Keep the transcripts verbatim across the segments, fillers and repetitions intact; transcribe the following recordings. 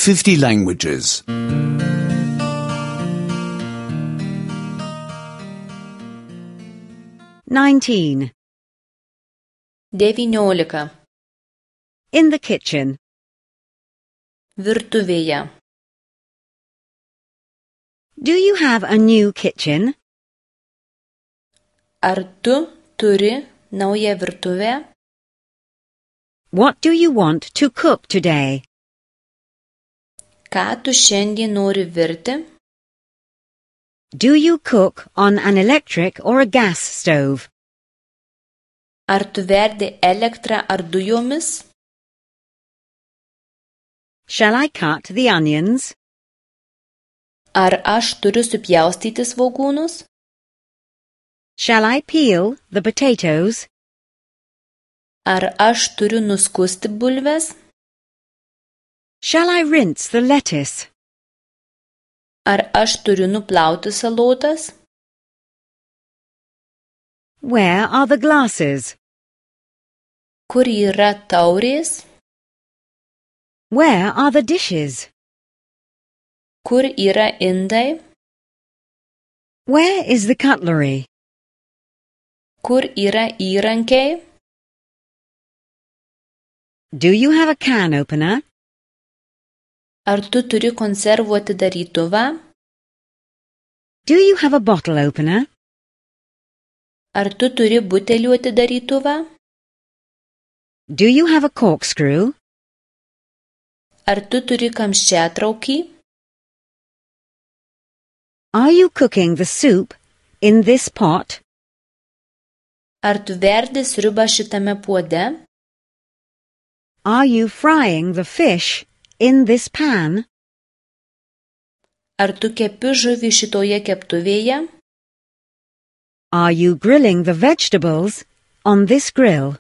fifty languages. nineteen. devyniolika. In the kitchen. Virtuvėje. Do you have a new kitchen? Ar tu turi naują virtuvę? What do you want to cook today? Ką tu šiandien nori virti? Do you cook on an electric or a gas stove? Ar tu verdi elektrą ar dujomis? Shall I cut the onions? Ar aš turiu supjaustyti svogūnus? Shall I peel the potatoes? Ar aš turiu nuskusti bulves? Shall I rinse the lettuce? Ar aš turiu nuplauti salotas? Where are the glasses? Kur yra taurės? Where are the dishes? Kur yra indai? Where is the cutlery? Kur yra įrankiai? Do you have a can opener? Ar tu turi konservų atidarytuvą? Do you have a bottle opener? Ar tu turi butelių atidarytuvą? Do you have a corkscrew? Ar tu turi kamščiatraukį? Are you cooking the soup in this pot? Ar tu verdi sriubą šitame puode? Are you frying the fish in this pan? Ar tu kepi žuvį šitoje keptuvėje? Are you grilling the vegetables on this grill?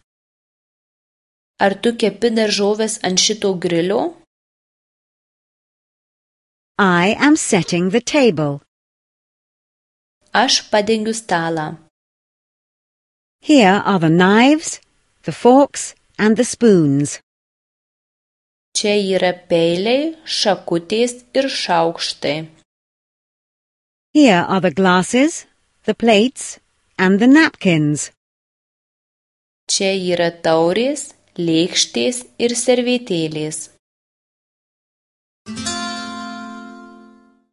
Ar tu kepi daržoves ant šito grilio? I am setting the table. Aš padengiu stalą. Here are the knives, the forks, and the spoons. Čia yra peiliai, šakutės ir šaukštai. Here are the glasses, the plates, and the napkins. Čia yra taurės, lėkštės ir servetėlės.